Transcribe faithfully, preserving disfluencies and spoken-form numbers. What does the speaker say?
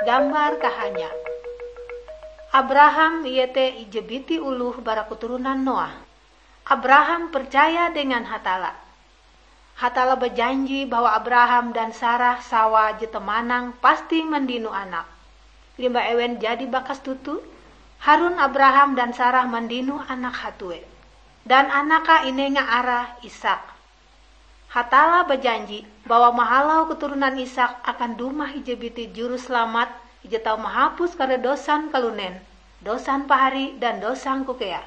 Gambar kahanya. Abraham iete ije biti oloh bara keturunan Noah. Abraham percaya dengan Hatalla. Hatalla bajanji bahwa Abraham dan Sarah sawa je temanang pasti mandino anak. Limbah ewen jadi bakas toto, harun Abraham dan Sarah mandino anak hatue. Dan anaka inenga arae Ishak. Hatalla bajanji bahwa mahalau keturunan Ishak akan dumah ije biti Juruselamat, ije tau mahapus kare dosan kalunen, dosan pahari dan dosangku kea.